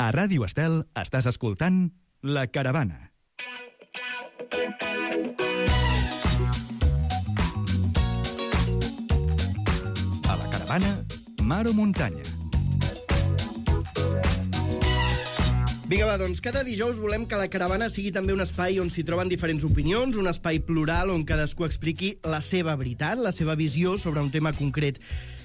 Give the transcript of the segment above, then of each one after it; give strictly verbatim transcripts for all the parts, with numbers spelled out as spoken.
A Ràdio Estel estàs escoltant La Caravana. A La Caravana, mar o muntanya. Vinga, va, doncs cada dijous volem que La Caravana sigui també un espai on s'hi troben diferents opinions, un espai plural on cadascú expliqui la seva veritat, la seva visió sobre un tema concret.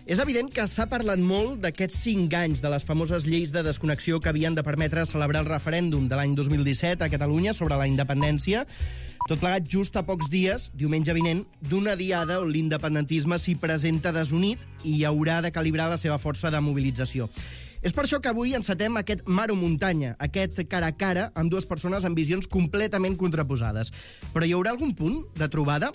És evident que s'ha parlat molt d'aquests cinc anys de les famoses lleis de desconnexió que havien de permetre celebrar el referèndum de l'any dos mil disset a Catalunya sobre la independència, tot plegat just a pocs dies, diumenge vinent, d'una diada on l'independentisme s'hi presenta desunit i haurà de calibrar la seva força de mobilització. És per això que avui encetem aquest mar o muntanya, aquest cara a cara amb dues persones amb visions completament contraposades. Però hi haurà algun punt de trobada?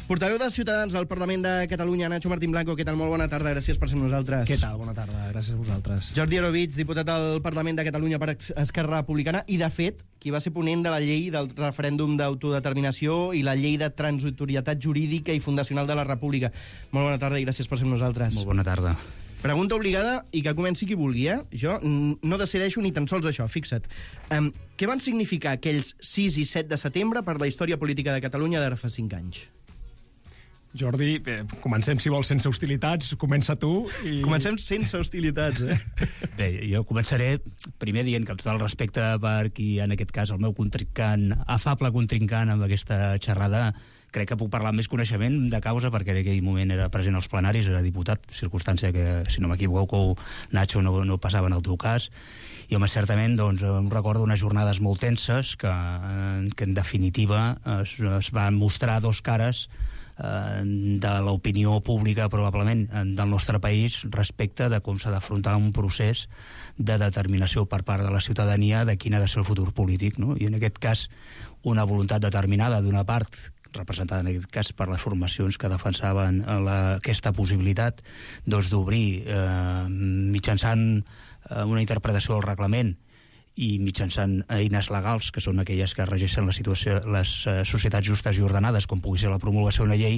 Portaveu de Ciutadans al Parlament de Catalunya, Nacho Martín Blanco, què tal? Molt bona tarda, gràcies per ser amb nosaltres. Què tal? Bona tarda, gràcies a vosaltres. Jordi Arovich, diputat al Parlament de Catalunya per Esquerra Republicana, i de fet, qui va ser ponent de la llei del referèndum d'autodeterminació i la llei de transitorietat jurídica i fundacional de la República. Molt bona tarda i gràcies per ser amb nosaltres. Molt bona tarda. Pregunta obligada i que comenci qui vulgui, eh? Jo no decideixo ni tan sols això, fixa't. Um, què van significar aquells sis i set de setembre per la història política de Catalunya d'ara fa cinc anys? Jordi, eh, comencem, si vols, sense hostilitats. Comença tu. I... Comencem sense hostilitats, eh? Bé, jo començaré primer dient que amb tot el respecte per qui, en aquest cas, el meu contrincant, afable contrincant amb aquesta xerrada, crec que puc parlar amb més coneixement de causa perquè en aquell moment era present als plenaris, era diputat, circumstància que, si no m'equivoco, Nacho no, no passava en el teu cas. I home, certament, doncs, em recordo unes jornades molt tenses que, que en definitiva es, es van mostrar dos cares de l'opinió pública probablement del nostre país respecte de com s'ha d'afrontar un procés de determinació per part de la ciutadania de quin ha de ser el futur polític, no? I en aquest cas una voluntat determinada d'una part representada en aquest cas per les formacions que defensaven la, aquesta possibilitat doncs, d'obrir eh, mitjançant eh, una interpretació del reglament i mitjançant eines legals, que són aquelles que regeixen la situació, les uh, societats justes i ordenades, com pugui ser la promulgació d'una llei,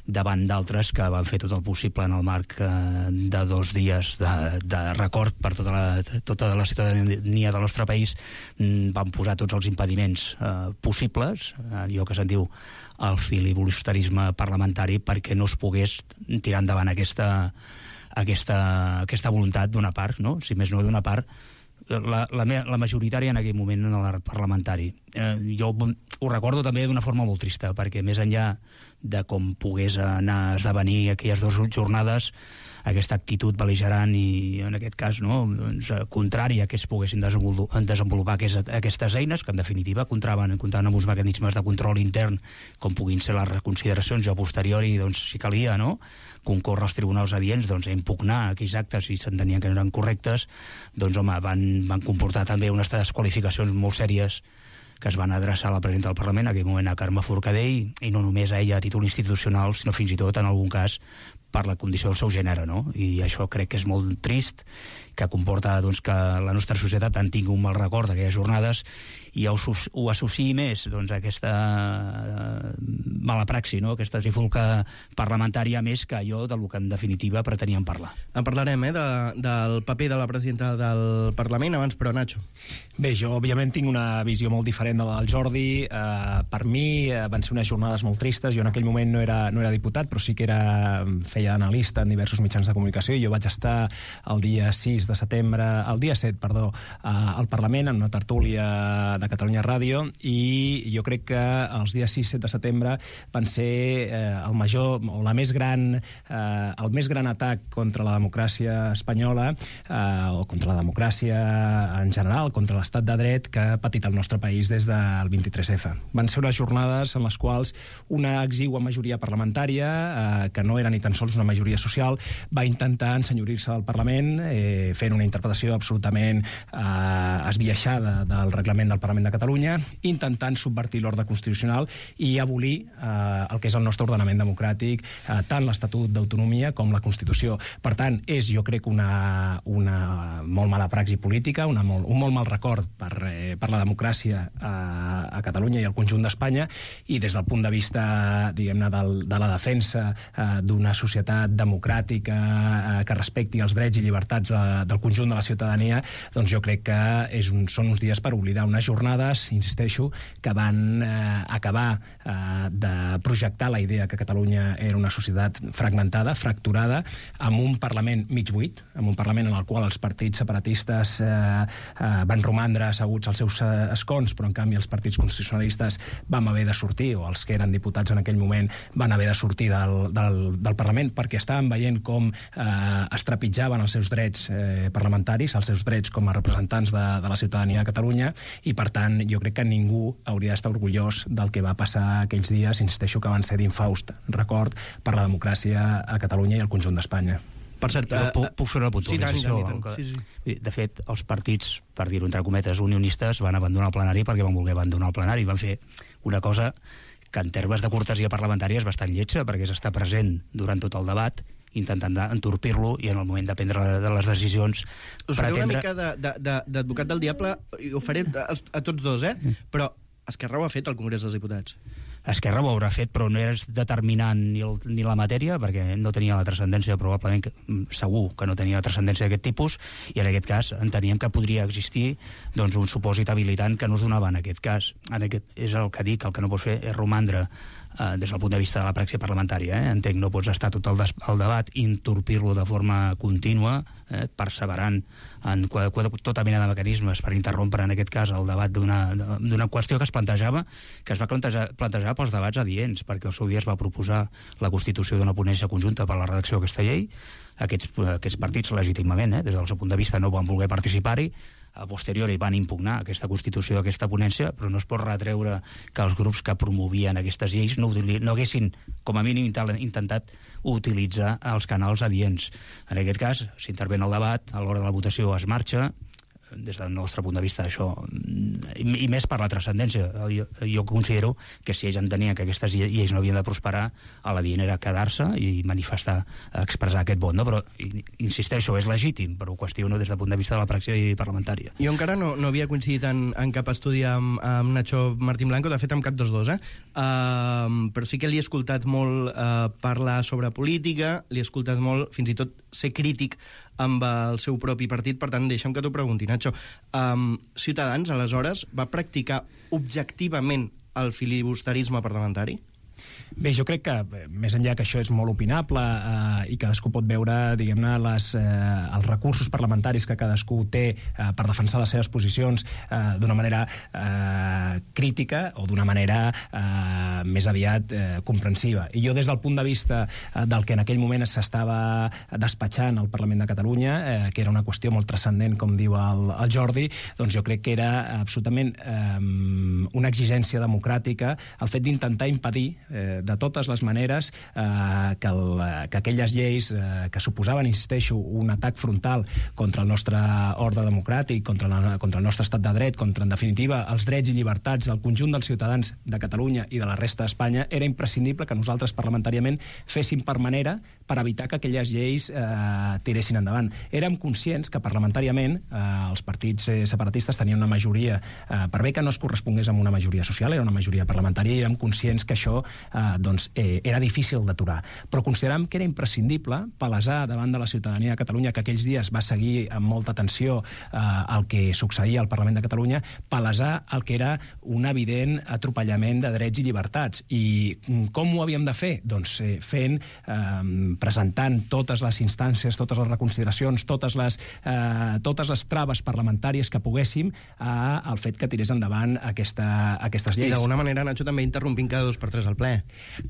davant d'altres que van fer tot el possible en el marc uh, de dos dies de, de record per tota la, tota la ciutadania del nostre país, mm, van posar tots els impediments uh, possibles, uh, allò que se'n diu el filibusterisme parlamentari, perquè no es pogués tirar endavant aquesta, aquesta, aquesta voluntat d'una part, no? Si més no d'una part, La, la, la majoritària en aquell moment en l'art parlamentari. Eh, jo ho recordo també d'una forma molt trista, perquè més enllà de com pogués anar a esdevenir aquelles dues jornades, aquesta actitud bel·ligerant i, en aquest cas, no, doncs, contrària que es poguessin desenvolupar, desenvolupar aquestes, aquestes eines, que en definitiva comptaven, comptaven amb uns mecanismes de control intern, com puguin ser les reconsideracions i a posteriori, doncs, si calia, no?, concórrer als tribunals adients, doncs, a impugnar aquells actes si s'entenien que no eren correctes, doncs, home, van, van comportar també unes desqualificacions molt sèries que es van adreçar a la presidenta del Parlament, en aquell moment a Carme Forcadell, i no només a ella a títol institucional, sinó fins i tot, en algun cas, per la condició del seu gènere, no? I això crec que és molt trist, que comporta doncs, que la nostra societat en tingui un mal record d'aquelles jornades i ho, ho associï més doncs, a aquesta uh, mala praxi, no? Aquesta trifulca parlamentària més que allò del que en definitiva preteníem parlar. En parlarem, eh, de, del paper de la presidenta del Parlament, abans, però, Nacho. Bé, jo, òbviament, tinc una visió molt diferent de la del Jordi. Uh, per mi uh, van ser unes jornades molt tristes. Jo en aquell moment no era, no era diputat, però sí que era, feia d'analista en diversos mitjans de comunicació, i jo vaig estar el dia sis de setembre, el dia set, perdó, uh, al Parlament, en una tertúlia de Catalunya Ràdio, i jo crec que els dies sis i set de setembre van ser eh, el major, o la més gran, eh, el més gran atac contra la democràcia espanyola, eh, o contra la democràcia en general, contra l'estat de dret que ha patit el nostre país des del vint-i-tres efa. Van ser unes jornades en les quals una exigua majoria parlamentària, eh, que no era ni tan sols una majoria social, va intentar ensenyorir-se del Parlament, eh, fent una interpretació absolutament eh, esbiaixada del reglament del Parlament de Catalunya, intentant subvertir l'ordre constitucional i abolir eh, el que és el nostre ordenament democràtic, eh, tant l'Estatut d'Autonomia com la Constitució. Per tant, és, jo crec, una, una molt mala praxi política, una molt, un molt mal record per, eh, per la democràcia a, a Catalunya i al conjunt d'Espanya, i des del punt de vista, diguem-ne, del, de la defensa eh, d'una societat societat democràtica eh, que respecti els drets i llibertats de, del conjunt de la ciutadania, doncs jo crec que és un, són uns dies per oblidar unes jornades, insisteixo, que van eh, acabar eh, de projectar la idea que Catalunya era una societat fragmentada, fracturada, amb un Parlament mig buit, amb un Parlament en el qual els partits separatistes eh, eh, van romandre asseguts als seus eh, escons, però en canvi els partits constitucionalistes vam haver de sortir, o els que eren diputats en aquell moment van haver de sortir del, del, del Parlament, perquè estaven veient com eh, es trepitjaven els seus drets eh, parlamentaris, els seus drets com a representants de, de la ciutadania de Catalunya, i per tant jo crec que ningú hauria d'estar orgullós del que va passar aquells dies, insisteixo que van ser d'infaust record per la democràcia a Catalunya i al conjunt d'Espanya. Per cert, uh, puc, puc fer una Sí, puntualització? tant, tant, tant. Sí, sí. De fet, els partits, per dir-ho entre cometes, unionistes, van abandonar el plenari perquè van voler abandonar el plenari. Van fer una cosa que en termes de cortesia parlamentària és bastant lletja, perquè és estar present durant tot el debat, intentant entorpir-lo, i en el moment de prendre de les decisions... Us faré una mica d'advocat del diable, i ho faré a, a tots dos, eh? Però Esquerra ho ha fet al Congrés dels Diputats. Esquerra ho haurà fet, però no és determinant ni, el, ni la matèria, perquè no tenia la transcendència, probablement, que, segur que no tenia la transcendència d'aquest tipus, i en aquest cas enteníem que podria existir doncs, un supòsit habilitant que no es donava en aquest cas. En aquest, és el que dic, el que no pots fer és romandre eh, des del punt de vista de la praxi parlamentària. Eh? Entenc, no pots estar tot el, des, el debat i entorpir-lo de forma contínua, eh, perseverant en tota mena de mecanismes per interrompre, en aquest cas, el debat d'una qüestió que es plantejava, que es va plantejar, plantejar pels debats adients, perquè al seu dia es va proposar la constitució d'una ponència conjunta per a la redacció d'aquesta llei. Aquests, aquests partits, legítimament, eh, des del seu punt de vista, no van voler participar-hi. A posteriori van impugnar aquesta constitució d'aquesta ponència, però no es pot retreure que els grups que promovien aquestes lleis no, no haguessin, com a mínim, intentat utilitzar els canals adients. En aquest cas, s'intervé en el debat, a l'hora de la votació es marxa, des del nostre punt de vista, això, i, i més per la transcendència. Jo, jo considero que si ells entenien que aquestes lleis no havien de prosperar, a la dient era quedar-se i manifestar, expressar aquest vot, no? Però, insisteixo, és legítim, però ho qüestiono des del punt de vista de la praxi parlamentària. Jo encara no, no havia coincidit en, en cap estudi amb, amb Nacho Martín Blanco, de fet amb cap dels dos, eh? Uh, però sí que li he escoltat molt uh, parlar sobre política, li he escoltat molt, fins i tot, ser crític amb el seu propi partit. Per tant, deixa'm que t'ho pregunti, Nacho. Um, Ciutadans, aleshores, va practicar objectivament el filibusterisme parlamentari? Bé, jo crec que, més enllà que això és molt opinable eh, i cadascú pot veure, diguem-ne, les, eh, els recursos parlamentaris que cadascú té eh, per defensar les seves posicions eh, d'una manera eh, crítica o d'una manera eh, més aviat eh, comprensiva. I jo, des del punt de vista eh, del que en aquell moment s'estava despatxant al Parlament de Catalunya, eh, que era una qüestió molt transcendent, com diu el, el Jordi, doncs jo crec que era absolutament eh, una exigència democràtica el fet d'intentar impedir eh, de totes les maneres eh, que, el, que aquelles lleis eh, que suposaven, insisteixo, un atac frontal contra el nostre ordre democràtic, contra, la, contra el nostre estat de dret, contra, en definitiva, els drets i llibertats del conjunt dels ciutadans de Catalunya i de la resta d'Espanya, era imprescindible que nosaltres parlamentàriament féssim per manera per evitar que aquelles lleis eh, tiressin endavant. Érem conscients que parlamentàriament eh, els partits eh, separatistes tenien una majoria, eh, per bé que no es correspongués amb una majoria social, era una majoria parlamentària, i érem conscients que això eh, doncs, eh, era difícil d'aturar. Però consideràvem que era imprescindible palesar davant de la ciutadania de Catalunya, que aquells dies va seguir amb molta atenció eh, el que succeïa al Parlament de Catalunya, palesar el que era un evident atropellament de drets i llibertats. I com ho havíem de fer? Doncs eh, fent, eh, presentant totes les instàncies, totes les reconsideracions, totes les, eh, totes les traves parlamentàries que poguéssim eh, al fet que tirés endavant aquesta, aquestes lleis. I d'alguna manera, Nacho, també interrompint cada dos per tres al ple.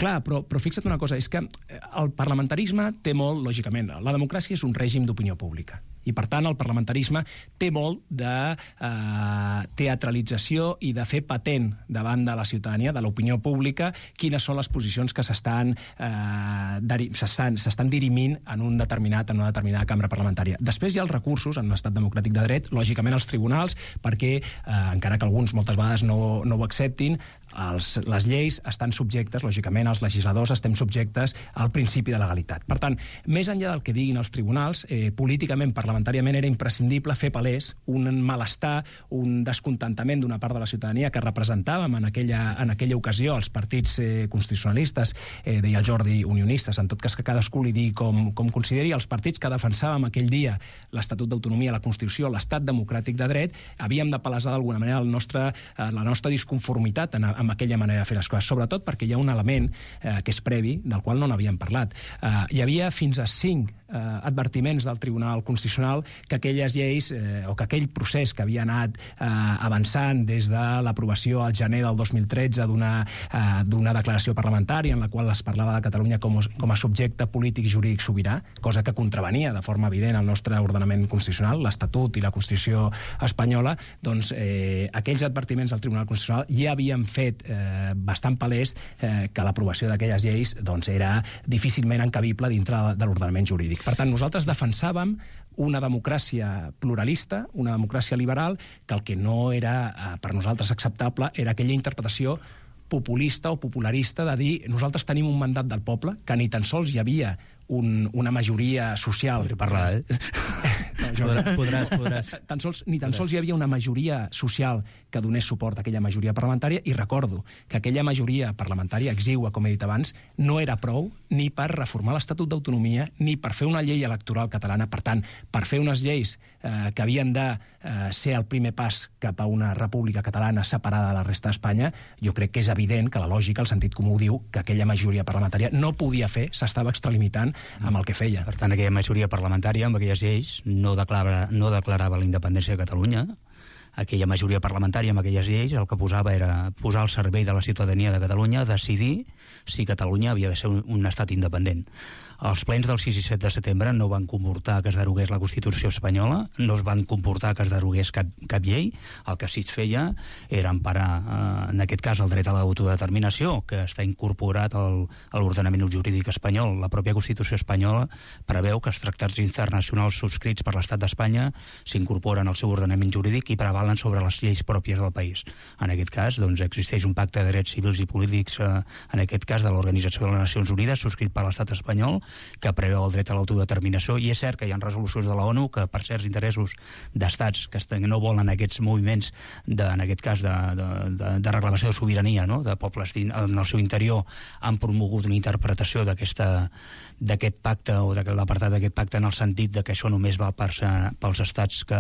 Clar, però, però fixa't una cosa, és que el parlamentarisme té molt, lògicament, la democràcia és un règim d'opinió pública. I, per tant, el parlamentarisme té molt de eh, teatralització i de fer patent davant de la ciutadania, de l'opinió pública, quines són les posicions que s'estan eh, s'estan dirimint en un determinat, en una determinada cambra parlamentària. Després hi ha els recursos, en un estat democràtic de dret, lògicament els tribunals, perquè, eh, encara que alguns moltes vegades no, no ho acceptin, els, les lleis estan subjectes, lògicament, els legisladors estem subjectes al principi de legalitat. Per tant, més enllà del que diguin els tribunals, eh, políticament, parlamentàriament, era imprescindible fer palès un malestar, un descontentament d'una part de la ciutadania que representàvem en aquella, en aquella ocasió els partits eh, constitucionalistes, eh, deia el Jordi, unionistes, en tot cas que cadascú li digui com, com consideri, els partits que defensàvem aquell dia l'Estatut d'Autonomia, la Constitució, l'Estat democràtic de dret, havíem de palesar d'alguna manera el nostre, eh, la nostra disconformitat en, amb aquella manera de fer les coses, sobretot perquè hi ha un element eh, que és previ, del qual no n'havíem parlat. Eh, hi havia fins a cinc eh, advertiments del Tribunal Constitucional que aquelles lleis, eh, o que aquell procés que havia anat eh, avançant des de l'aprovació al gener del dos mil tretze d'una eh, d'una declaració parlamentària en la qual es parlava de Catalunya com, com a subjecte polític i jurídic sobirà, cosa que contravenia de forma evident al nostre ordenament constitucional, l'Estatut i la Constitució espanyola, doncs eh, aquells advertiments del Tribunal Constitucional ja havien fet eh, bastant palès eh, que l'aprovació d'aquelles lleis doncs, era difícilment encabible dintre de l'ordenament jurídic. Per tant, nosaltres defensàvem una democràcia pluralista, una democràcia liberal, que el que no era eh, per nosaltres acceptable era aquella interpretació populista o popularista de dir nosaltres tenim un mandat del poble, que ni tan sols hi havia un, una majoria social... Podré parlar, eh? No, jo... podràs, podràs. Tan sols, ni tan podràs. sols hi havia una majoria social que donés suport a aquella majoria parlamentària, i recordo que aquella majoria parlamentària exigua, com he dit abans, no era prou ni per reformar l'Estatut d'Autonomia ni per fer una llei electoral catalana. Per tant, per fer unes lleis eh, que havien de eh, ser el primer pas cap a una república catalana separada de la resta d'Espanya, jo crec que és evident que la lògica, el sentit comú diu que aquella majoria parlamentària no podia fer, s'estava extralimitant amb el que feia. Per tant, aquella majoria parlamentària amb aquelles lleis no declarava, no declarava la independència de Catalunya. Aquella majoria parlamentària amb aquelles lleis el que posava era posar al servei de la ciutadania de Catalunya decidir si Catalunya havia de ser un, un estat independent. Els plens del sis i set de setembre no van comportar que es derogués la Constitució espanyola, no es van comportar que es derogués cap, cap llei. El que sí es feia era emparar, eh, en aquest cas, el dret a l'autodeterminació, que està incorporat al, a l'ordenament jurídic espanyol. La pròpia Constitució espanyola preveu que els tractats internacionals subscrits per l'Estat d'Espanya s'incorporen al seu ordenament jurídic i prevalen sobre les lleis pròpies del país. En aquest cas, doncs, existeix un pacte de drets civils i polítics, eh, en aquest cas de l'Organització de les Nacions Unides, subscrit per l'Estat espanyol, que preveu el dret a l'autodeterminació, i és cert que hi ha resolucions de la ONU que per certs interessos d'estats que no volen aquests moviments, de, en aquest cas de, de, de, de reclamació de sobirania, no?, de pobles en el seu interior, han promogut una interpretació d'aquesta d'aquest pacte o de l'apartat d'aquest pacte en el sentit de que això només val per, pels estats que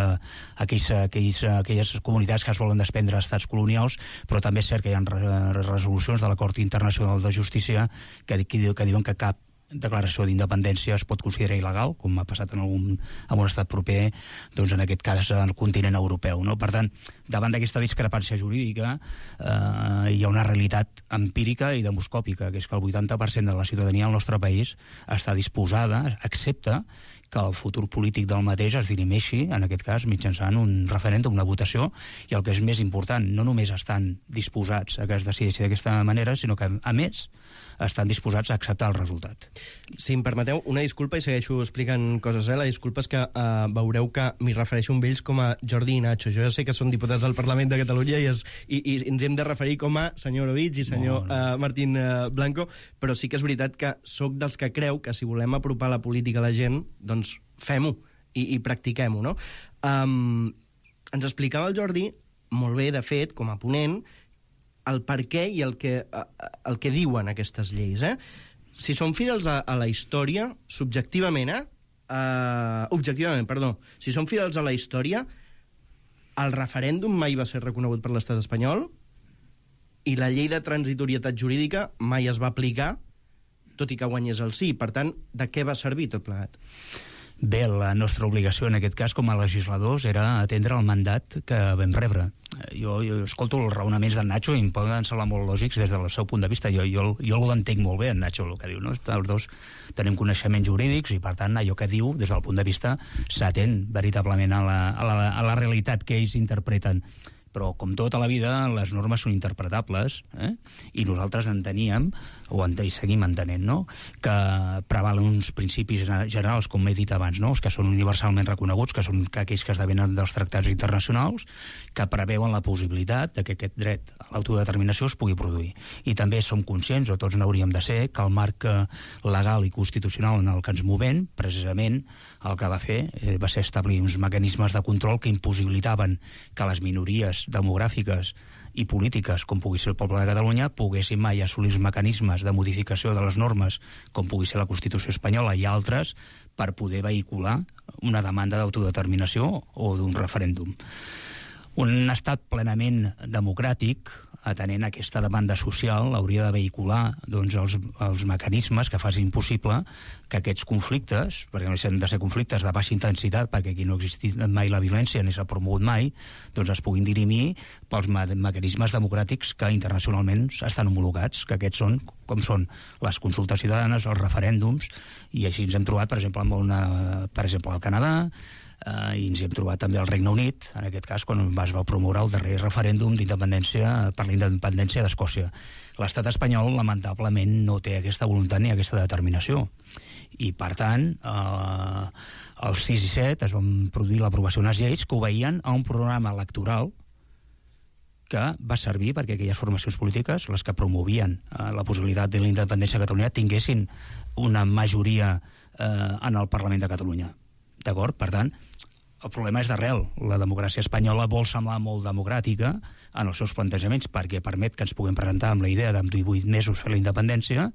aquells, aquells, aquelles comunitats que es volen desprendre estats colonials, però també és cert que hi ha resolucions de la Cort Internacional de Justícia que, que, que diuen que cap declaració d'independència es pot considerar il·legal, com ha passat en, algun, en un estat proper, doncs en aquest cas en el continent europeu, no? Per tant, davant d'aquesta discrepància jurídica eh, hi ha una realitat empírica i demoscòpica, que és que el vuitanta per cent de la ciutadania del nostre país està disposada, accepta que el futur polític del mateix es dirimeixi, en aquest cas, mitjançant un referèndum, una votació, i el que és més important, no només estan disposats a que es decideixi d'aquesta manera, sinó que, a més, estan disposats a acceptar el resultat. Si em permeteu, una disculpa, i segueixo explicant coses, eh? La disculpa és que uh, veureu que m'hi refereixo amb ells com a Jordi i Nacho. Jo ja sé que són diputats del Parlament de Catalunya i, es, i, i ens hem de referir com a senyor Orovich i senyor no, no. Uh, Martín uh, Blanco, però sí que és veritat que sóc dels que creu que si volem apropar la política a la gent, doncs fem-ho i, i practiquem-ho, no? Um, ens explicava el Jordi, molt bé, de fet, com a ponent, el per què i el que, el que diuen aquestes lleis, eh? Si són fidels a, a la història, subjectivament, eh? Uh, objectivament, perdó. Si són fidels a la història, el referèndum mai va ser reconegut per l'estat espanyol i la llei de transitorietat jurídica mai es va aplicar, tot i que guanyés el sí. Per tant, de què va servir tot plegat? Bé, la nostra obligació en aquest cas com a legisladors era atendre el mandat que vam rebre. Jo, jo escolto els raonaments d'en Nacho i em poden semblar molt lògics des del seu punt de vista. Jo, jo, jo l'entenc molt bé, en Nacho, el que diu, no? Els dos tenim coneixements jurídics i, per tant, allò que diu, des del punt de vista, s'atén veritablement a la, a la, a la realitat que ells interpreten. Però, com tota la vida, les normes són interpretables, eh? I nosaltres enteníem, o en, i seguim entenent, no?, que prevalen uns principis generals, com he dit abans, no?, els que són universalment reconeguts, que són aquells que esdevenen dels tractats internacionals, que preveuen la possibilitat de que aquest dret a l'autodeterminació es pugui produir. I també som conscients, o tots n'hauríem de ser, que el marc legal i constitucional en el que ens movem, precisament, el que va fer eh, va ser establir uns mecanismes de control que impossibilitaven que les minories demogràfiques i polítiques, com pugui ser el poble de Catalunya, poguessin mai assolir els mecanismes de modificació de les normes, com pugui ser la Constitució espanyola i altres, per poder vehicular una demanda d'autodeterminació o d'un referèndum. Un estat plenament democràtic, atenent aquesta demanda social, hauria de vehicular doncs, els, els mecanismes que facin possible que aquests conflictes, perquè no han de ser conflictes de baixa intensitat, perquè aquí no ha existit mai la violència ni s'ha promogut mai, doncs es puguin dirimir pels me mecanismes democràtics que internacionalment estan homologats, que aquests són, com són les consultes ciutadanes, els referèndums, i així ens hem trobat, per exemple, amb una, per exemple al Canadà, Uh, i ens hi hem trobat també al Regne Unit, en aquest cas quan es va promoure el darrer referèndum d'independència per la independència d'Escòcia. L'estat espanyol lamentablement no té aquesta voluntat ni aquesta determinació, i per tant uh, els sis i set es van produir l'aprovació d'unes lleis que obeïen a un programa electoral que va servir perquè aquelles formacions polítiques, les que promovien uh, la possibilitat de la independència de Catalunya, tinguessin una majoria uh, en el Parlament de Catalunya. D'acord? Per tant, el problema és d'arrel. La democràcia espanyola vol semblar molt democràtica en els seus plantejaments perquè permet que ens puguem presentar amb la idea d'en divuit mesos fer la independència,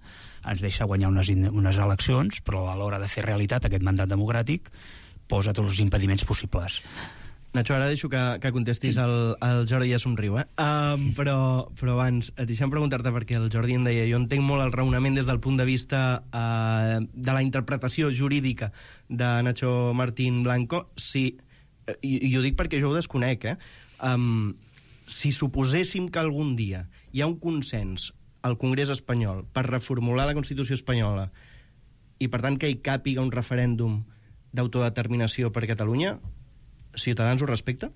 ens deixa guanyar unes, unes eleccions, però a l'hora de fer realitat aquest mandat democràtic posa tots els impediments possibles. Nacho, ara deixo que, que contestis el, el Jordi ja somriu, eh? Um, però, però abans, deixa'm preguntar-te, perquè el Jordi em deia, jo entenc molt el raonament des del punt de vista uh, de la interpretació jurídica de Nacho Martín Blanco, si, i, i ho dic perquè jo ho desconec, eh? Um, si suposéssim que algun dia hi ha un consens al Congrés espanyol per reformular la Constitució espanyola i, per tant, que hi càpiga un referèndum d'autodeterminació per Catalunya, Ciutadans ho respecta?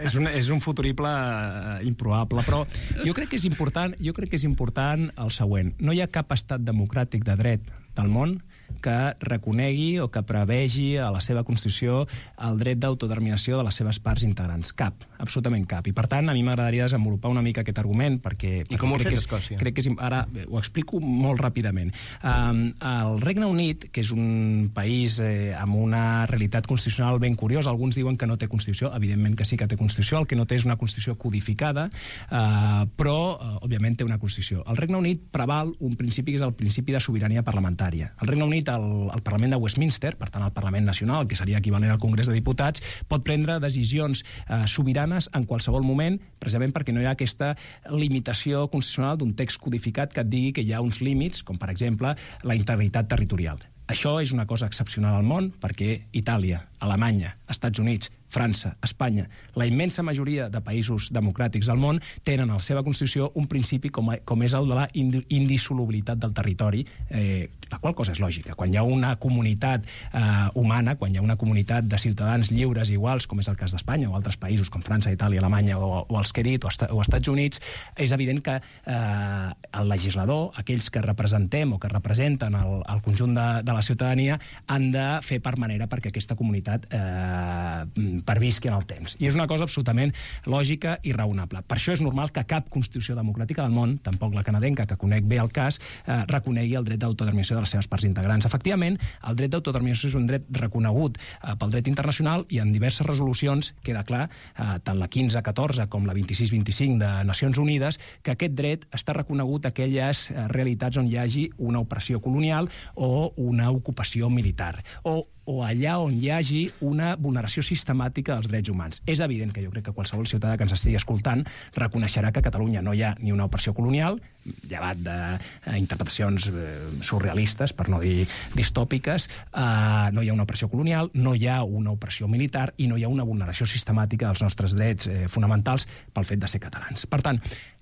És un, és un futurible uh, improbable, però jo crec que és important, jo crec que és important el següent. No hi ha cap estat democràtic de dret del món que reconegui o que prevegi a la seva Constitució el dret d'autodeterminació de les seves parts integrants. Cap, absolutament cap. I, per tant, a mi m'agradaria desenvolupar una mica aquest argument, perquè... I com ho ha fet és, Escòcia? Crec que és, ara ho explico molt ràpidament. Um, el Regne Unit, que és un país eh, amb una realitat constitucional ben curiosa, alguns diuen que no té Constitució, evidentment que sí que té Constitució, el que no té és una Constitució codificada, uh, però, uh, òbviament, té una Constitució. El Regne Unit preval un principi que és el principi de sobirania parlamentària. El Regne Unit El, el Parlament de Westminster, per tant el Parlament Nacional, que seria equivalent al Congrés de Diputats, pot prendre decisions eh, sobiranes en qualsevol moment, precisament perquè no hi ha aquesta limitació constitucional d'un text codificat que et digui que hi ha uns límits, com per exemple la integritat territorial. Això és una cosa excepcional al món, perquè Itàlia, Alemanya, Estats Units, França, Espanya, la immensa majoria de països democràtics del món tenen a la seva Constitució un principi com, a, com és el de la indissolubilitat del territori, eh, la qual cosa és lògica. Quan hi ha una comunitat eh, humana, quan hi ha una comunitat de ciutadans lliures i iguals, com és el cas d'Espanya o altres països com França, Itàlia, Alemanya o, o els que he dit, o, o Estats Units, és evident que eh, el legislador, aquells que representem o que representen el, el conjunt de, de la ciutadania, han de fer part manera perquè aquesta comunitat eh, pervisqui en el temps. I és una cosa absolutament lògica i raonable. Per això és normal que cap Constitució democràtica del món, tampoc la canadenca, que conec bé el cas, eh, reconegui el dret d'autodeterminació de les seves parts integrants. Efectivament, el dret d'autodeterminació és un dret reconegut eh, pel dret internacional i en diverses resolucions queda clar, eh, tant la quinze catorze com la vint-i-sis vint-i-cinc de Nacions Unides, que aquest dret està reconegut a aquelles eh, realitats on hi hagi una opressió colonial o una ocupació militar, o o allà on hi hagi una vulneració sistemàtica dels drets humans. És evident que jo crec que qualsevol ciutadà que ens estigui escoltant reconeixerà que a Catalunya no hi ha ni una opressió colonial, llevat d'interpretacions eh, surrealistes, per no dir distòpiques, eh, no hi ha una opressió colonial, no hi ha una opressió militar i no hi ha una vulneració sistemàtica dels nostres drets eh, fonamentals pel fet de ser catalans. Per tant,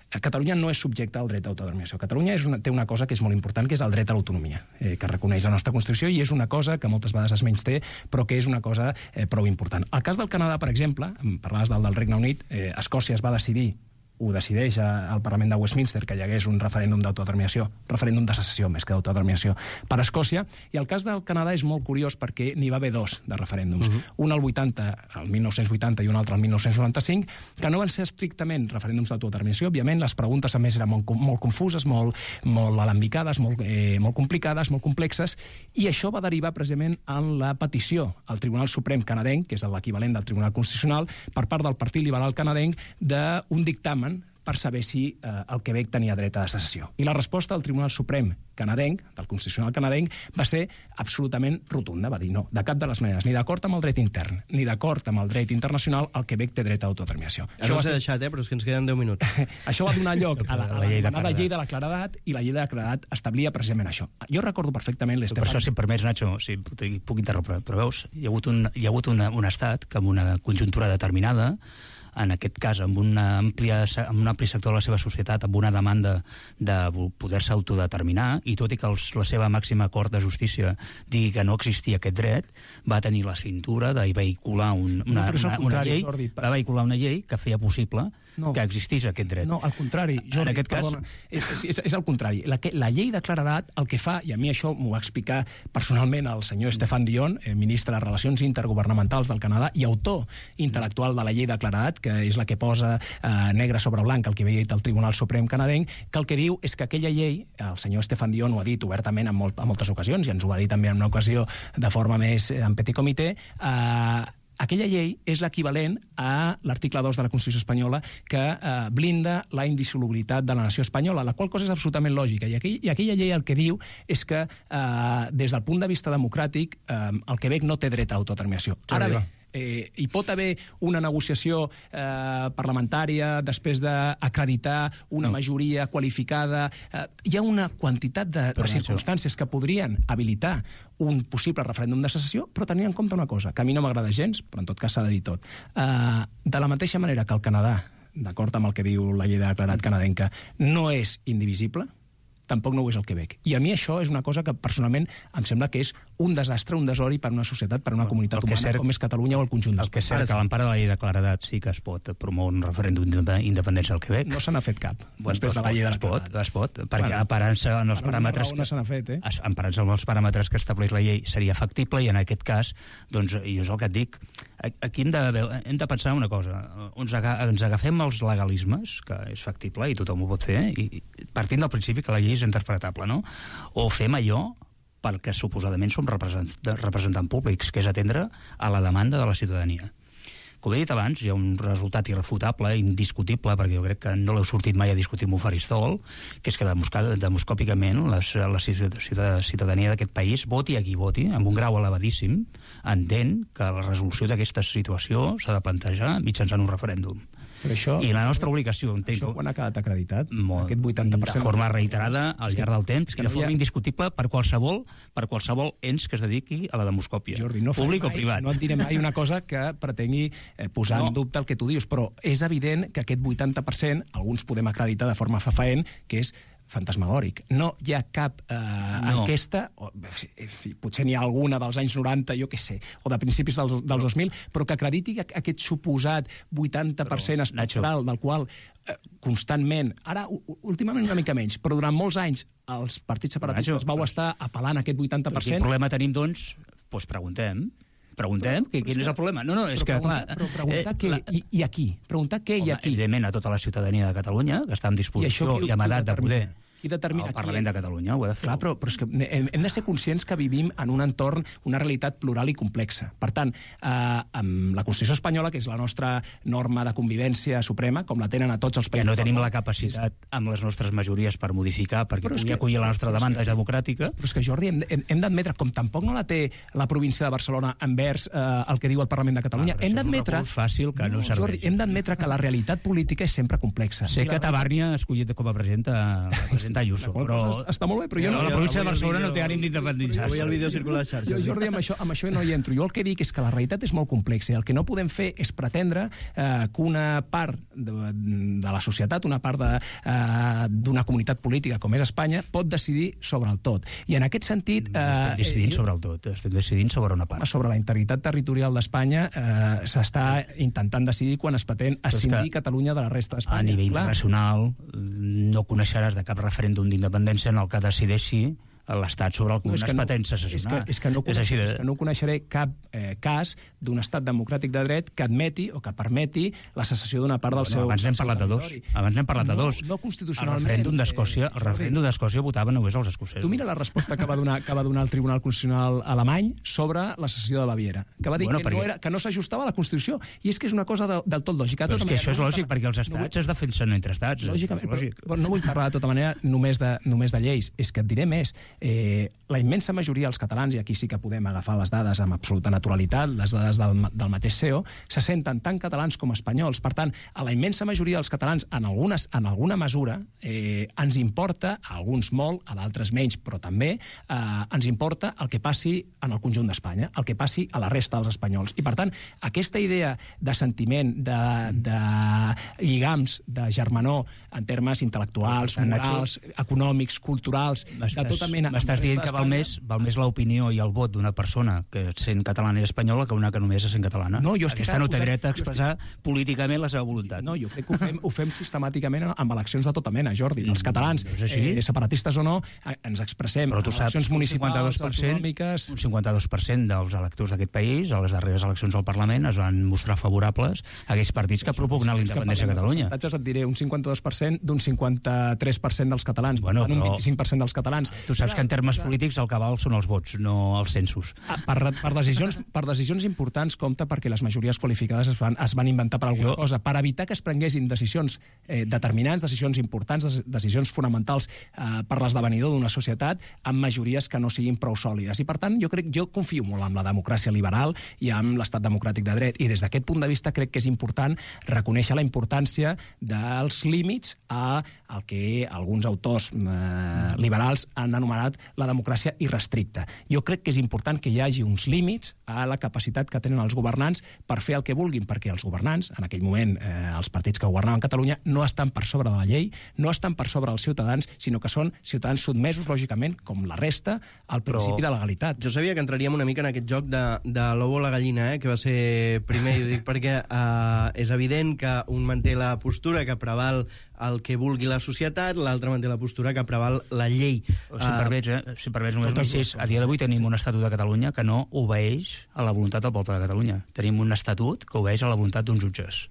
Catalunya no és subjecte al dret d'autodeterminació. Catalunya és una, té una cosa que és molt important, que és el dret a l'autonomia, eh, que reconeix la nostra Constitució, i és una cosa que moltes vegades es menysté, però que és una cosa eh, prou important. El cas del Canadà, per exemple, parlaves del, del Regne Unit, eh, Escòcia es va decidir, ho decideix al Parlament de Westminster, que hi hagués un referèndum d'autodeterminació, referèndum de secessió més que d'autodeterminació per Escòcia, i el cas del Canadà és molt curiós perquè n'hi va haver dos de referèndums, uh-huh. un al vuitanta, el mil nou-cents vuitanta i un altre el mil nou-cents noranta-cinc, que no van ser estrictament referèndums d'autodeterminació. Òbviament, les preguntes a més eren molt, molt confuses, molt, molt alambicades, molt, eh, molt complicades, molt complexes, i això va derivar precisament en la petició al Tribunal Suprem canadenc, que és l'equivalent del Tribunal Constitucional, per part del Partit Liberal canadenc, d'un dictamen per saber si eh, el Quebec tenia dret a secessió. I la resposta del Tribunal Suprem canadenc, del Constitucional canadenc, va ser absolutament rotunda. Va dir no, de cap de les maneres, ni d'acord amb el dret intern, ni d'acord amb el dret internacional, el Quebec té dret a autodeterminació. Això no s'ha deixat, eh, però és que ens queden deu minuts. Això va donar lloc a la, a la, llei, de la llei de la claredat, i la llei de la claredat establia precisament això. Jo recordo perfectament l'Estefan... Per això, si em permets, Nacho, si puc interrompre, però veus, hi ha hagut un, hi ha hagut una, un estat que amb una conjuntura determinada, en aquest cas, amb, una àmplia, amb un ampli sector de la seva societat, amb una demanda de poder-se autodeterminar, i tot i que els, la seva màxima Cort de Justícia digui que no existia aquest dret, va tenir la cintura de vehicular un, una, no, una, una llei, Jordi, va vehicular una llei que feia possible no. que existís aquest dret. No, al contrari, Jordi, en aquest perdona, cas... és, és, és el contrari. La, que, la llei de claredat el que fa, i a mi això m'ho va explicar personalment el senyor Stéphane Dion, eh, ministre de Relacions Intergovernamentals del Canadà i autor intel·lectual de la llei de claredat, que és la que posa eh, negre sobre blanc el que havia dit el Tribunal Suprem canadenc, que el que diu és que aquella llei, el senyor Stéphane Dion ho ha dit obertament en, molt, en moltes ocasions, i ens ho va dir també en una ocasió de forma més en petit comitè, eh, aquella llei és l'equivalent a l'article dos de la Constitució espanyola que eh, blinda la indissolubilitat de la nació espanyola, la qual cosa és absolutament lògica. I, aquell, i aquella llei el que diu és que, eh, des del punt de vista democràtic, eh, el Quebec no té dret a autodeterminació. Ara bé, Eh, hi pot haver una negociació eh, parlamentària després d'acreditar una no. majoria qualificada. Eh, hi ha una quantitat de, de circumstàncies que podrien habilitar un possible referèndum de secessió, però tenint en compte una cosa, que a mi no m'agrada gens, però en tot cas s'ha de dir tot. Eh, de la mateixa manera que el Canadà, d'acord amb el que diu la llei de declarat canadenca, no és indivisible, tampoc no ho és el Quebec. I a mi això és una cosa que personalment em sembla que és un desastre, un desori per una societat, per una comunitat humana cert, com és Catalunya o el conjunt del país. El que és cert que a l'empara de la llei de claredat sí que es pot promoure un referèndum d'independència al Quebec. No se n'ha fet cap. Bueno, després de la llei de es pot, es pot, perquè bueno, emparant-se en els paràmetres no se n'ha fet, eh? emparant-se en els paràmetres que estableix la llei seria factible, i en aquest cas, doncs, jo és el que et dic, aquí hem de, hem de pensar una cosa. Ens, aga, ens agafem els legalismes, que és factible i tothom ho pot fer, i partint del principi que la llei és interpretable, no? O fem allò perquè suposadament som representant, representant públics, que és atendre a la demanda de la ciutadania. Com he dit abans, hi ha un resultat irrefutable, indiscutible, perquè jo crec que no l'heu sortit mai a discutir amb un faristol, que és que demoscòpicament la, la ciutadania d'aquest país, voti a qui voti, amb un grau elevadíssim, entén que la resolució d'aquesta situació s'ha de plantejar mitjançant un referèndum. Això, I la nostra obligació, entenc... Això quan ha quedat acreditat? Molt, aquest vuitanta per cent. De forma reiterada al llarg del temps, i de forma indiscutible per qualsevol, per qualsevol ens que es dediqui a la demoscòpia, Jordi, no públic mai, o privat. No et diré mai una cosa que pretengui eh, posar no. en dubte el que tu dius, però és evident que aquest vuitanta per cent, alguns podem acreditar de forma fefaent, que és fantasmagòric. No hi ha cap eh, no. enquesta, o, potser n'hi ha alguna dels anys noranta, jo què sé, o de principis dels, dels dos mil, però que acrediti aquest suposat vuitanta per cent espectral, del qual eh, constantment, ara últimament una mica menys, però durant molts anys els partits separatistes vau estar apel·lant a aquest vuitanta per cent. Quin problema tenim, doncs? Doncs preguntem. Preguntem però, que, quin és el problema. No, no, és però que, preguntar, clar... Però preguntar eh, què la... i, i a qui? Preguntar què Home, i a qui? Evidentment, a tota la ciutadania de Catalunya, que està en disposició i, i amb edat de poder... Qui determina? El Parlament de Catalunya ho ha de fer. Clar, però, però és que hem, hem de ser conscients que vivim en un entorn, una realitat plural i complexa. Per tant, eh, amb la Constitució espanyola, que és la nostra norma de convivència suprema, com la tenen a tots els països... Ja no tenim la capacitat amb les nostres majories per modificar, perquè pugui que, acollir la nostra demanda que, democràtica. Però és que, Jordi, hem, hem d'admetre, com tampoc no la té la província de Barcelona envers eh, el que diu el Parlament de Catalunya, ah, hem d'admetre... És un fàcil que no, no serveix. Jordi, hem d'admetre que la realitat política és sempre complexa. Sé que Tabàrnia ha escollit com a presidenta la presidenta presentar Ayuso. Però... Està molt bé, però jo no... La província de Barcelona no té ànim d'independitzar-se. Avui el vídeo circula a les xarxes. Jo, Jordi, amb això, amb això no hi entro. Jo el que dic és que la realitat és molt complexa i el que no podem fer és pretendre eh, que una part de, de la societat, una part d'una eh, comunitat política com és Espanya, pot decidir sobre el tot. I en aquest sentit... Eh, estem decidint eh, sobre el tot, estem decidint sobre una part. Sobre la integritat territorial d'Espanya eh, s'està intentant decidir quan es pretén escindir Catalunya de la resta d'Espanya. A nivell Clar. internacional no coneixeràs de cap referèndum d'independència en el que decideixi l'Estat sobre el que no, es pretén secessionar. És que, és, que no coneix, és, de... és que no coneixeré cap eh, cas d'un estat democràtic de dret que admeti o que permeti la secessió d'una part del bueno, seu... Abans n'hem parlat de dos. Abans n'hem parlat de dos. No, no constitucionalment. El referèndum d'Escòcia el referèndum d'Escòcia votava només els escocesos. Tu mira la resposta que va donar, que va donar el Tribunal Constitucional alemany sobre la secessió de Baviera, que va dir bueno, que, perquè... no era, que no s'ajustava a la Constitució. I és que és una cosa de, del tot lògica. Però tota és que això és no lògic, perquè els estats no vull... es defensen entre estats. Lògicament, però, però no vull parlar de tota manera només de, només de lleis. És que et diré més. Eh, la immensa majoria dels catalans, i aquí sí que podem agafar les dades amb absoluta naturalitat, les dades del, del mateix C E O, se senten tant catalans com espanyols. Per tant, a la immensa majoria dels catalans, en, algunes, en alguna mesura, eh, ens importa, a alguns molt, a d'altres menys, però també, eh, ens importa el que passi en el conjunt d'Espanya, el que passi a la resta dels espanyols. I, per tant, aquesta idea de sentiment, de, de lligams, de germanor, en termes intel·lectuals, morals, econòmics, culturals, de tota mena... M'estàs dient que val més, val més l'opinió i el vot d'una persona que sent catalana i espanyola que una que només és sent catalana. No, jo Aquesta no té dret a expressar estic... políticament la seva voluntat. No, jo crec que ho fem, ho fem sistemàticament amb eleccions de tota mena, Jordi. Els catalans, no eh, separatistes o no, ens expressem Però tu en saps, eleccions municipals, cinquanta-dos per cent, autonòmiques... Un cinquanta-dos per cent dels electors d'aquest país, a les darreres eleccions al Parlament, es van mostrar favorables a aquells partits que propugnen la independència a Catalunya. Els percentatges et diré un cinquanta-dos per cent d'un cinquanta-tres per cent dels catalans, bueno, per tant, però... un vint-i-cinc per cent dels catalans. Tu saps que en termes polítics el que val són els vots, no els censos. Ah, per, per, decisions, per decisions importants compta perquè les majories qualificades es van, es van inventar per alguna jo... cosa, per evitar que es prenguessin decisions eh, determinants, decisions importants, decisions fonamentals eh, per l'esdevenidor d'una societat amb majories que no siguin prou sòlides. I per tant, jo crec, jo confio molt en la democràcia liberal i en l'estat democràtic de dret. I des d'aquest punt de vista crec que és important reconèixer la importància dels límits a el que alguns autors eh, liberals han anomenat la democràcia irrestricta. Jo crec que és important que hi hagi uns límits a la capacitat que tenen els governants per fer el que vulguin, perquè els governants, en aquell moment eh, els partits que governaven Catalunya, no estan per sobre de la llei, no estan per sobre dels ciutadans, sinó que són ciutadans sotmesos, lògicament, com la resta, al principi Però... de legalitat. Jo sabia que entraríem una mica en aquest joc de, de l'ou o la gallina, eh, que va ser primer, i ho dic perquè eh, és evident que un manté la postura que preval el que vulgui la societat, l'altre manté la postura que preval la llei. O si em permets, eh, si em permets només un incís, a dia d'avui tenim un Estatut de Catalunya que no obeeix a la voluntat del poble de Catalunya. Tenim un Estatut que obeeix a la voluntat d'uns jutges.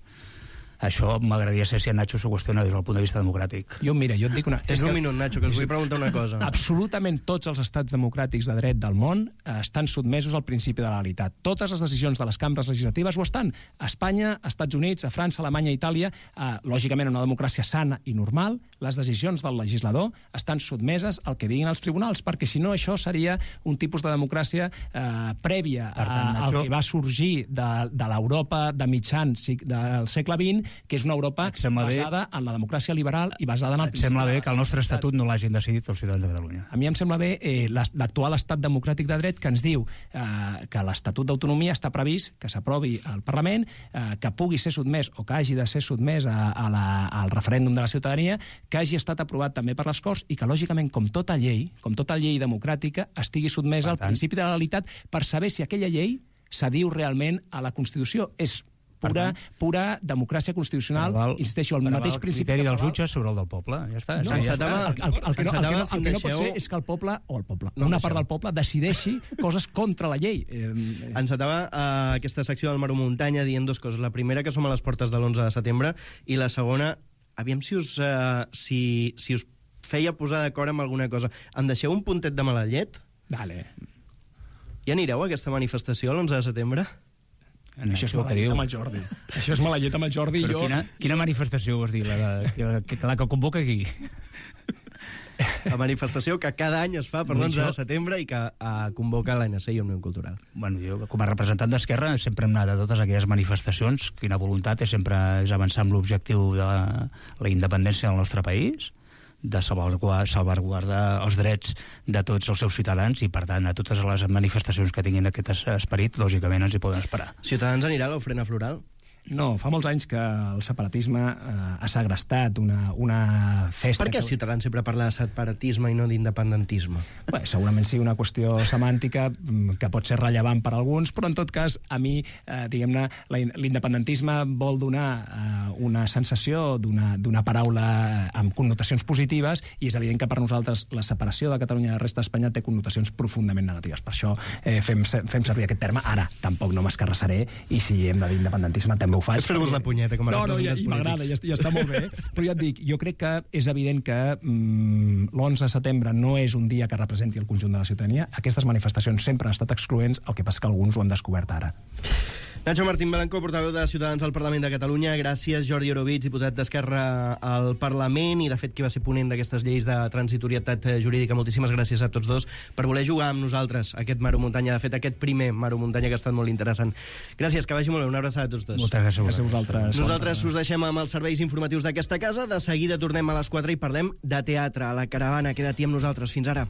Això m'agradaria saber si en Nacho s'ho qüestiona des del punt de vista democràtic. Jo, mira, jo et dic una... És un minut, Nacho, que us vull preguntar una cosa. Absolutament tots els estats democràtics de dret del món eh, estan sotmesos al principi de la legalitat. Totes les decisions de les cambres legislatives ho estan. A Espanya, a Estats Units, a França, a Alemanya, a Itàlia, eh, lògicament una democràcia sana i normal, les decisions del legislador estan sotmeses al que diguin els tribunals, perquè si no això seria un tipus de democràcia eh, prèvia a, tant, al que va sorgir de, de l'Europa de mitjan del segle vint, que és una Europa basada en la democràcia liberal i basada en el principi... Et sembla bé que el nostre estatut no l'hagin decidit els ciutadans de Catalunya? A mi em sembla bé eh, l'actual estat democràtic de dret que ens diu eh, que l'Estatut d'Autonomia està previst que s'aprovi al Parlament, eh, que pugui ser sotmès o que hagi de ser sotmès a, a la, al referèndum de la ciutadania, que hagi estat aprovat també per les Corts i que, lògicament, com tota llei, com tota llei democràtica, estigui sotmesa al principi de la legalitat per saber si aquella llei s'adiu realment a la Constitució. És pura, pura democràcia constitucional, val, insisteixo, el mateix el principi... criteri dels jutges sobre el del poble, ja està. No, ja està. El, el, el, el, que no, el, que no, el que no pot ser és que el poble, o el poble, no, una part del poble, decideixi coses contra la llei. Eh, eh. Encetava uh, aquesta secció del Maro Muntanya dient dues coses. La primera, que som a les portes de l'onze de setembre, i la segona, aviam si us, uh, si, si us feia posar d'acord amb alguna cosa. Em deixeu un puntet de mala llet? Dale. Ja anireu a aquesta manifestació l'onze de setembre? En això és mala llet amb el Jordi. Això és mala llet amb el Jordi. Però jo... quina, quina manifestació vols dir? La, de, la, que, la que convoca aquí? La manifestació que cada any es fa per l'onze de setembre i que uh, convoca l'A N C i Òmnium Cultural. Bueno, jo, com a representant d'Esquerra, sempre hem anat a totes aquelles manifestacions. Quina voluntat és sempre és avançar amb l'objectiu de la, la independència del nostre país, de salvaguardar, salvaguardar els drets de tots els seus ciutadans i, per tant, a totes les manifestacions que tinguin aquest esperit, lògicament ens hi poden esperar. Ciutadans anirà a l'ofrena floral? No, fa molts anys que el separatisme eh, ha segrestat una, una festa... Per què que... Ciutadans sempre parla de separatisme i no d'independentisme? Bé, segurament sigui una qüestió semàntica que pot ser rellevant per a alguns, però en tot cas, a mi, eh, diguem-ne, l'independentisme vol donar eh, una sensació d'una paraula amb connotacions positives i és evident que per nosaltres la separació de Catalunya de la resta d'Espanya té connotacions profundament negatives. Per això eh, fem, fem servir aquest terme. Ara, tampoc no m'escarrassaré i si hem de dir independentisme també ho faig. És fer-vos la punyeta com a no, no, ja, representants i m'agrada, polítics. ja, ja està molt bé. Però ja et dic, jo crec que és evident que mm, l'onze de setembre no és un dia que representi el conjunt de la ciutadania. Aquestes manifestacions sempre han estat excloents, el que passa que alguns ho han descobert ara. Nacho Martín Blanco, portaveu de Ciutadans al Parlament de Catalunya. Gràcies, Jordi Orobitg, diputat d'Esquerra al Parlament i, de fet, qui va ser ponent d'aquestes lleis de transitorietat jurídica. Moltíssimes gràcies a tots dos per voler jugar amb nosaltres aquest Maro Muntanya. De fet, aquest primer Maro Muntanya que ha estat molt interessant. Gràcies, que vagi molt bé. Una abraçada a tots dos. Moltes gràcies. Gràcies a vosaltres. Nosaltres us deixem amb els serveis informatius d'aquesta casa. De seguida tornem a les quatre i parlem de teatre a la Caravana. Queda't-hi amb nosaltres. Fins ara.